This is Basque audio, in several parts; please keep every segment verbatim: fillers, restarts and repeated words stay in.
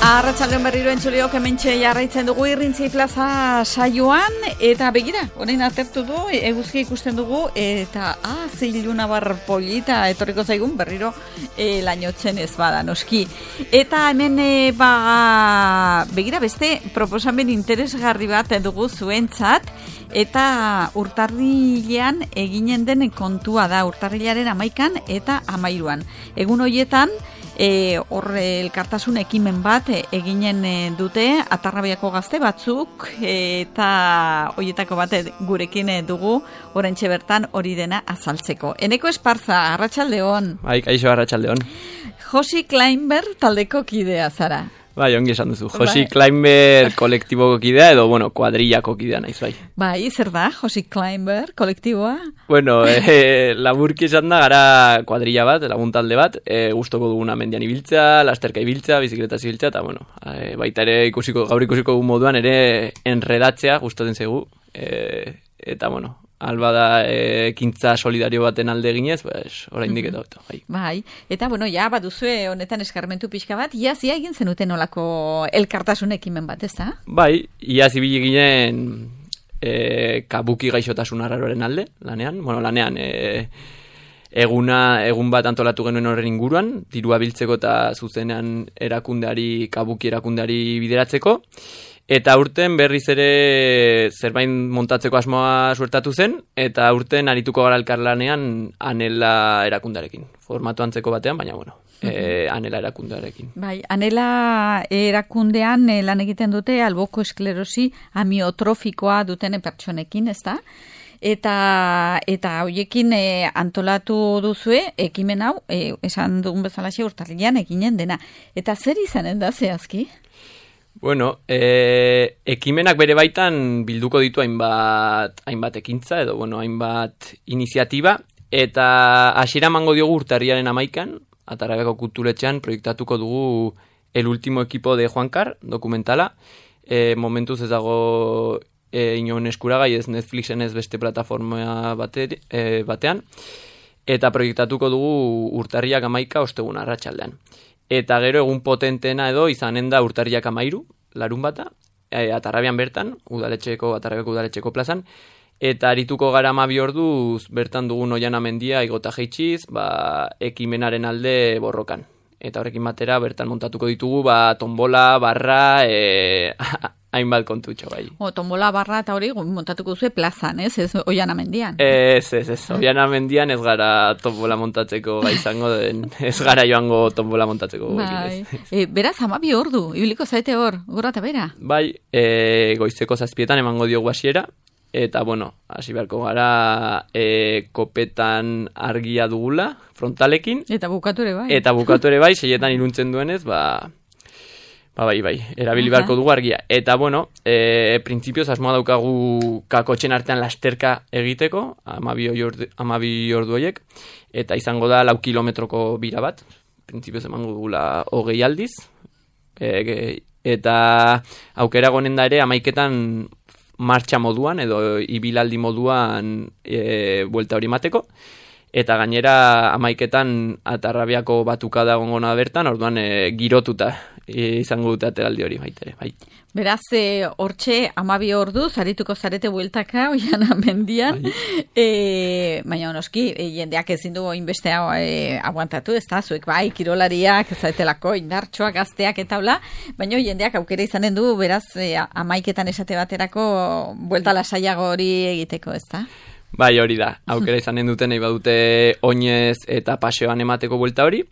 Arratsaldeon berriro entzuleok hementxe jarraitzen dugu Irrintzi Plaza saioan, eta begira, orain atertu du, eguzkia ikusten dugu, eta ah, ze iluna bar polita etorriko zaigun berriro e, lainotzen ez bada, noski. Eta hemen e, ba, begira beste proposamen interesgarri bat dugu zuentzat, eta urtarrilean eginen den kontua da, urtarrilaren amaikan eta amairuan. Egun horietan, E, hor elkartasun ekimen bat e, eginen e, dute Atarrabiako gazte batzuk e, eta horietako bat e, gurekin e, dugu oraintxe bertan hori dena azaltzeko. Eneko Esparza, arratsaldeon. Bai, kaixo, arratsaldeon. Josi Kleinber taldeko kidea zara. Bai, ongi esan duzu. Josi bai. Kleinber kolektiboko kidea edo, bueno, kuadrillako kidea naiz, bai. Bai, zer da, Josi Kleinber kolektiboa? Bueno, eh, laburki esan da, gara kuadrilla bat, lagun talde bat, eh, gustoko duguna mendian ibiltza, lasterka ibiltza, bizikletaz ibiltza, eta, bueno, eh, baita ere ikusiko, gaur ikusiko moduan ere enredatzea gustatzen zaigu, eh, eta, bueno, alba da ekintza e, solidario baten alde eginez, pues, oraindik eta oto. Bai. Bai, eta bueno, ja baduzue honetan eskarmentu pixka bat, iaz ia egin zenuten olako elkartasun ekimen bat, ez da? Bai, iaz ibili ginen e, kabuki gaixotasun arraroren alde, lanean, bueno, lanean, e, eguna, egun bat antolatu genuen horren inguruan, dirua biltzeko eta zuzenean erakundeari, kabuki erakundeari bideratzeko, eta urten berriz ere zerbait montatzeko asmoa suertatu zen, eta urten arituko gara elkarlanean Anela erakundarekin. Formatu antzeko batean, baina bueno, uh-huh. e, Anela erakundarekin. Bai, Anela erakundean e, lan egiten dute alboko esklerosi amiotrofikoa duten pertsonekin, ez da? Eta eta hoiekin e, antolatu duzue ekimen hau, e, esan dugun bezalaxe urtarrilean eginen dena. Eta zer izanen da zehazki? Bueno, e, ekimenak bere baitan bilduko ditu hainbat, hainbat ekintza edo bueno, hainbat iniziatiba, eta hasiera emango diogu urtarriaren amaikan, Atarrabiako kulturetxean proiektatuko dugu El último equipo de Juankar dokumentala, e, momentuz ez dago e, inon eskuragai ez Netflixen ez beste plataforma bate, e, batean, eta proiektatuko dugu urtarriak amaika ostegun arratsaldean. Eta gero egun potentena edo izanen da urtarriak amairu, larun bata, e, Atarrabian bertan, udaletxeko, Atarrabiako udaletxeko plazan, eta arituko gara amabi orduz bertan dugun Oiana mendia igota jeitsiz, ba, ekimenaren alde borrokan. Eta horrekin batera bertan montatuko ditugu, ba, tombola, barra, e, hainbat kontutxo bai. O, tombola, barra eta hori montatuko duzu plazan, ez? Ez Oiana mendian. Ez, ez, ez. Oiana mendian ez gara tombola montatzeko gai izango den, ez gara joango tombola montatzeko. Bai. E, beraz, amabi ordu, ibiliko zaite hor, gora eta bera. Bai, e, goizeko zazpietan emango diogu hasiera, eta, bueno, hasi beharko gara e, kopetan argia dugula, frontalekin. Eta bukatu ere bai. Eta bukatu ere bai, seietan iruntzen duenez, ba... Ba, bai, bai, erabili beharko dugu argia. Eta, bueno, e, printzipioz asmoa daukagu kakotxen artean lasterka egiteko, amabi ordu horiek, eta izango da lau kilometroko bira bat, printzipioz emango dugula hogei aldiz, e, eta aukera gonen da ere amaiketan martxa moduan, edo ibilaldi moduan e, buelta hori mateko, eta gainera amaiketan Atarrabiako batuka da gongona bertan, orduan e, girotuta e, izango dute ateraldi hori baitere, bai. Beraz, e, hortxe amabi ordu, zarituko zarete bueltaka, Oiana mendian, bai. e, baina onoski, e, jendeak ezin du inbeste e, aguantatu, ez da, zuek bai, kirolariak, zaitelako, indartxoak, gazteak eta hola, baina jendeak aukera izanen du, beraz, e, amaiketan esate baterako buelta lasaiago hori egiteko, ez da? Bai, hori da. Aukera izanen duten nahi badute oinez eta paseoan emateko buelta hori.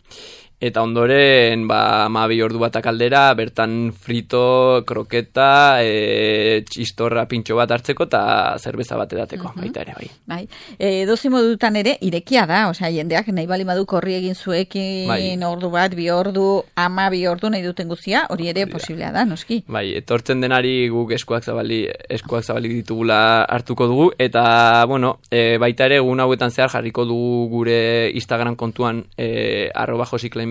Eta ondoren, ba, amabi ordu batak aldera, bertan frito, kroketa, e, txistorra pintxo bat hartzeko eta zerbeza bat edateko, uh-huh. baita ere, bai. Bai. E, dozi modutan ere, irekia da, osea, jendeak nahi bali madu korri egin zuekin, bai. ordu bat, bi ordu, ama bi ordu nahi duten guztia, hori ere posiblea da, noski. Bai, etortzen denari guk eskuak zabali, eskuak zabali ditugula hartuko dugu, eta, bueno, e, baita ere, egun hauetan zehar jarriko dugu gure Instagram kontuan, e, arroba Josi Kleinber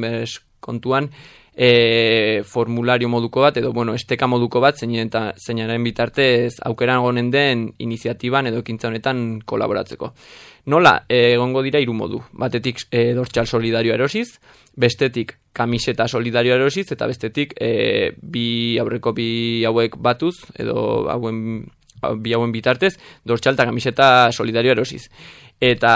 kontuan, e, formulario moduko bat, edo, bueno, esteka moduko bat, zeinaren bitartez aukeran gonen den iniziatiban edo ekintza honetan kolaboratzeko. Nola, egongo dira hiru modu. Batetik e, dortxal solidario erosiz, bestetik kamiseta solidarioa erosiz, eta bestetik e, bi aurreko bi hauek batuz, edo hauen, bi hauen bitartez, dortxal eta kamiseta solidarioa erosiz. Eta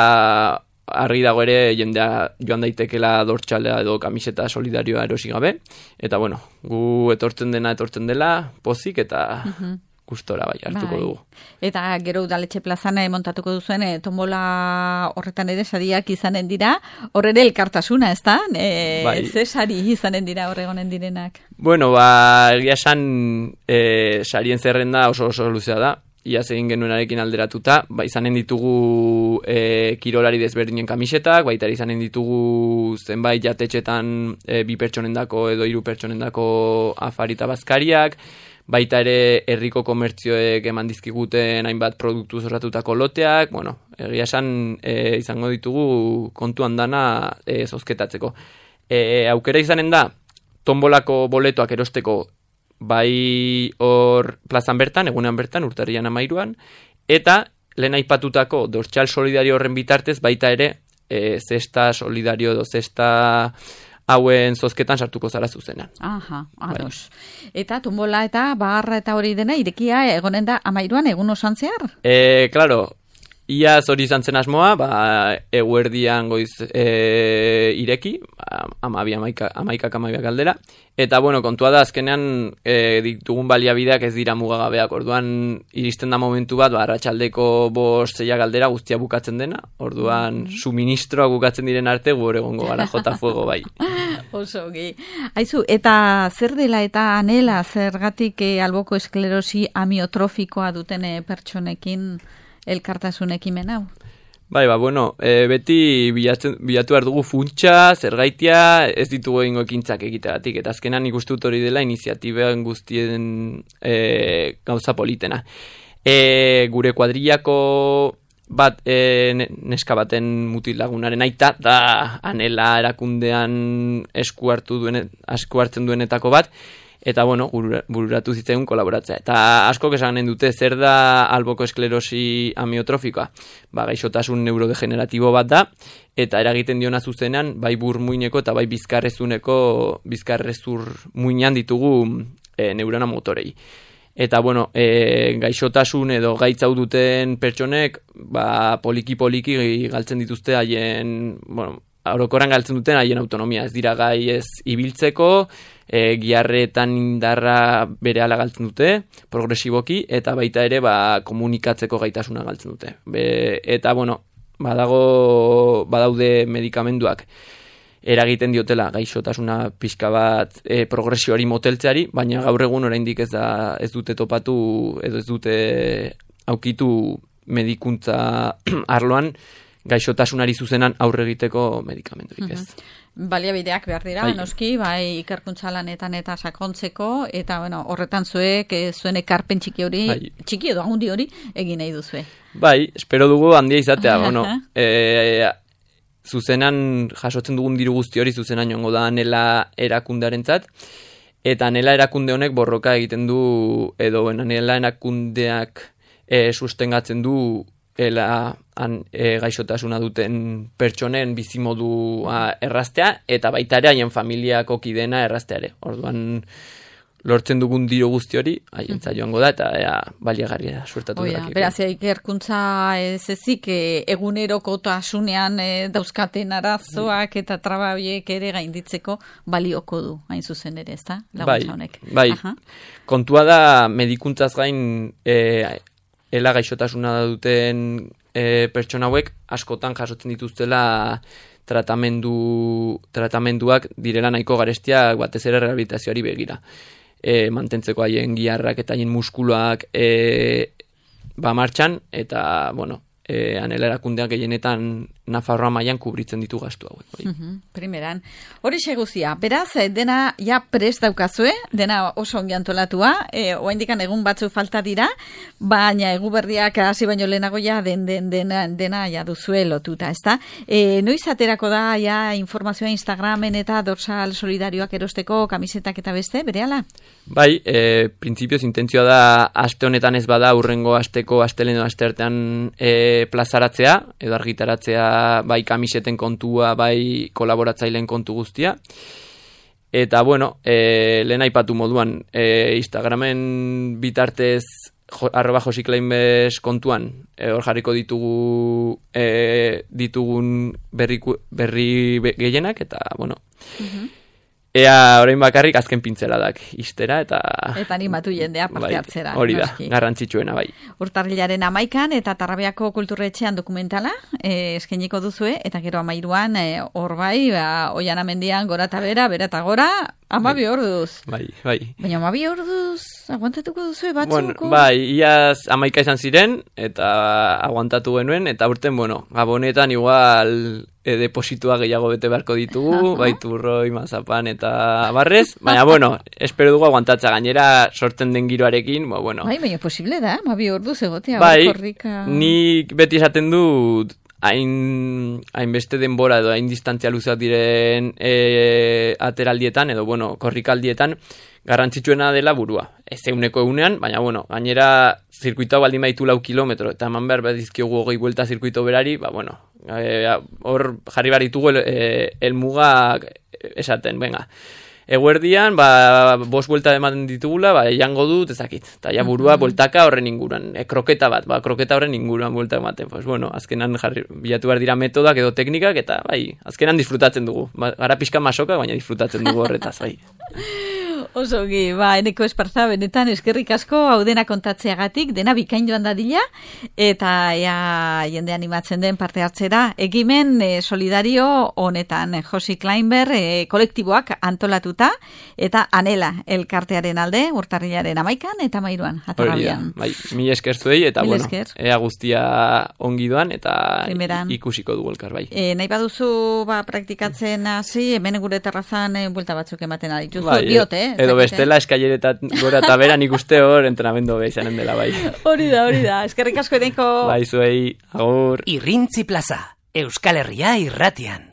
argi dago ere jendea joan daitekela dortxalea edo kamiseta solidarioa erosi gabe. Eta bueno, gu etortzen dena etortzen dela, pozik eta uh-huh. gustora bai hartuko bai. dugu. Eta gero udaletxe plazan montatuko duzuen e, tombola horretan ere sariak izanen dira, hor ere elkartasuna, ez da? E, bai. Ze sari izanen dira horregonen direnak? Bueno, ba, egia esan e, sarien zerrenda oso oso luzea da. Iaz egin genuenarekin alderatuta, ba, izanen ditugu e, kirolari desberdinen kamisetak, baita izanen ditugu zenbait jatetxetan e, bi pertsonendako edo hiru pertsonendako afari eta bazkariak, baita ere herriko komertzioek eman dizkiguten hainbat produktu zorratutako loteak, bueno, egia esan e, izango ditugu kontuan dana e, zozketatzeko. E, aukera izanen da, tombolako boletoak erosteko bai hor plazan bertan, egunean bertan, urtarrian amairuan, eta lehen aipatutako dortxal solidario horren bitartez, baita ere, e, zesta solidario edo zesta hauen zozketan sartuko zara zuzenan. Aha, ados. Bai. Eta tumbola eta barra eta hori dena, irekia egonen da amairuan egun osan zehar? E, claro, iaz hori izan zen asmoa, ba, eguerdian goiz e, ireki, amabi, amaika, amaikak amabiak aldera, eta bueno, kontua da azkenean e, ditugun baliabideak ez dira mugagabeak, orduan iristen da momentu bat, ba, arratsaldeko bost zeiak aldera guztia bukatzen dena, orduan mm-hmm. suministroa bukatzen diren arte gu egongo gara jota fuego bai. Oso, gi. Aizu, eta zer dela eta anela zergatik e, alboko esklerosi amiotrofikoa duten e, pertsonekin elkartasun ekimen hau? Bai, ba, bueno, e, beti bilatzen, bilatu behar dugu funtsa, zergaitia, ez ditugu egingo ekintzak egiteagatik, eta azkenan ikustut hori dela iniziatiben guztien e, gauza politena. E, gure kuadrillako bat, e, neska baten mutil lagunaren aita, da anela erakundean esku hartu duen, esku hartzen duenetako bat, eta bueno, bururatu zitzaigun kolaboratzea. Eta asko esanen dute zer da alboko esklerosi amiotrofikoa. Ba, gaixotasun neurodegeneratibo bat da, eta eragiten diona zuzenean, bai burmuineko eta bai bizkarrezuneko, bizkarrezur muinean ditugu e, neurona motorei. Eta bueno, e, gaixotasun edo gaitzau duten pertsonek, ba, poliki-poliki galtzen dituzte haien, bueno, orokoran galtzen duten haien autonomia. Ez dira gai ez ibiltzeko, E, giarretan indarra berehala galtzen dute, progresiboki, eta baita ere ba, komunikatzeko gaitasuna galtzen dute. Be, eta, bueno, badago, badaude medikamenduak eragiten diotela gaixotasuna pixka bat e, progresioari moteltzeari, baina gaur egun oraindik ez, da, ez dute topatu, edo ez dute aukitu medikuntza arloan gaixotasunari zuzenan aurre egiteko medikamendurik ez. Uh-huh. Baliabideak behar dira, bai. Noski, bai ikerkuntza lanetan eta sakontzeko, eta bueno, horretan zuek, zuen ekarpen txiki hori, bai. Txiki edo handi hori, egin nahi duzue. Bai, espero dugu handia izatea, bueno, e, zuzenan jasotzen dugun diru guzti hori zuzenan joango da anela erakundearentzat, eta anela erakunde honek borroka egiten du, edo anela erakundeak e, sustengatzen du, ela han, e, gaixotasuna duten pertsonen bizimodua erraztea, eta baita ere haien familiako kidena errazteare. Orduan lortzen dugun diru guzti hori, haientza joango da, eta ea, baliagarria suertatu darakiko. Beraz, ikerkuntza ez ezik egunerokotasunean e, dauzkaten arazoak eta trababiek ere gainditzeko balioko du, hain zuzen ere, ez da? Laguntza honek. Bai, bai. Kontua da medikuntzaz gain e, ela gaixotasuna duten e, pertsona hauek askotan jasotzen dituztela tratamendu, tratamenduak direla nahiko garestiak batez ere rehabilitazioari begira. E, mantentzeko haien giarrak eta haien muskuloak e, ba martxan, eta, bueno, e, anela erakundeak gehienetan Nafarroa mailan kubritzen ditu gastu hauek. Uh-huh, primeran. Hori seguzia, beraz, dena ja prest daukazue, dena oso ongi antolatua, e, oaindikan egun batzu falta dira, baina egu berriak hasi baino lehenago ja den, den, dena, dena ja duzue lotuta, ezta? E, noiz aterako da ja informazioa Instagramen eta dorsal solidarioak erosteko kamisetak eta beste, berehala? Bai, e, printzipioz intentzioa da aste honetan ez bada urrengo asteko astelehen edo asteartean e, plazaratzea, edo argitaratzea bai kamiseten kontua, bai kolaboratzaileen kontu guztia. Eta, bueno, e, lehen aipatu moduan, e, Instagramen bitartez jo, arroba josikleinbes kontuan, e, hor jarriko ditugu e, ditugun berri, berri gehienak, eta, bueno, uh-huh. Ea orain bakarrik azken pintzeladak istera eta... Eta animatu jendea parte hartzera. Hori da, garrantzitsuena bai. Urtarrilaren amaikan eta Tarrabiako kulturretxean dokumentala eh, eskeniko duzue, eta gero amairuan hor eh, bai, ba, Oiana mendian gora eta bera, bera eta gora, amabi orduz. Bai, bai. Baina amabi orduz, aguantatuko duzue batzuko? Bueno, bai, iaz amaika izan ziren, eta aguantatu genuen, eta urten, bueno, gabonetan igual... E, depositua gehiago bete beharko ditugu, uh-huh. Baiturroi, mazapan eta barrez, baina, bueno, espero dugu aguantatza gainera sortzen den giroarekin, ba, bueno. Bai, baina posible da, mabi orduz egotea, bai, korrika... nik beti esaten dut, hain, hain beste denbora edo hain distantzia luzak diren e, ateraldietan, edo, bueno, korrikaldietan, garrantzitsuena dela burua. Ez euneko eunean, baina, bueno, gainera zirkuitoa baldin baitu lau kilometro, eta eman behar badizkiogu hogei buelta zirkuito berari, ba, bueno, hor e, jarri behar ditugu el, e, elmugak esaten, venga. Eguerdian, ba, bos buelta ematen ditugula, ba, jango dut, ezakit. Eta ja burua, uh-huh. Bueltaka horren inguruan. E, kroketa bat, ba, kroketa horren inguruan buelta ematen. Pues, bueno, azkenan jarri, bilatu behar dira metodak edo teknikak, eta, bai, azkenan disfrutatzen dugu. Ba, gara pixka masoka, baina disfrutatzen dugu horretaz, bai. Osogi, ba, eneko esparza, benetan eskerrik asko, hau dena kontatzeagatik, dena bikain joan dadila, eta ea jende animatzen den parte hartzera, ekimen e, solidario honetan, Josi Kleinber e, kolektiboak antolatuta, eta anela elkartearen alde, urtarrilaren amaikan, eta mairuan, atarrabian. Bai, mi esker zuei, eta Mil bueno, esker. Ea guztia ongi doan, eta Primeran. Ikusiko dugu elkar, bai. E, nahi baduzu, ba, praktikatzen hasi, hemen gure terrazan e, buelta batzuk ematen adituzu, bai, diote, eh? Edo bestela eskaileretan gora eta bera nik uste hor entrenamendu beha izanen dela bai. Hori da, hori da. Eskerrik asko edeko. Bai, zuei, agur. Irrintzi plaza, Euskal Herria irratian.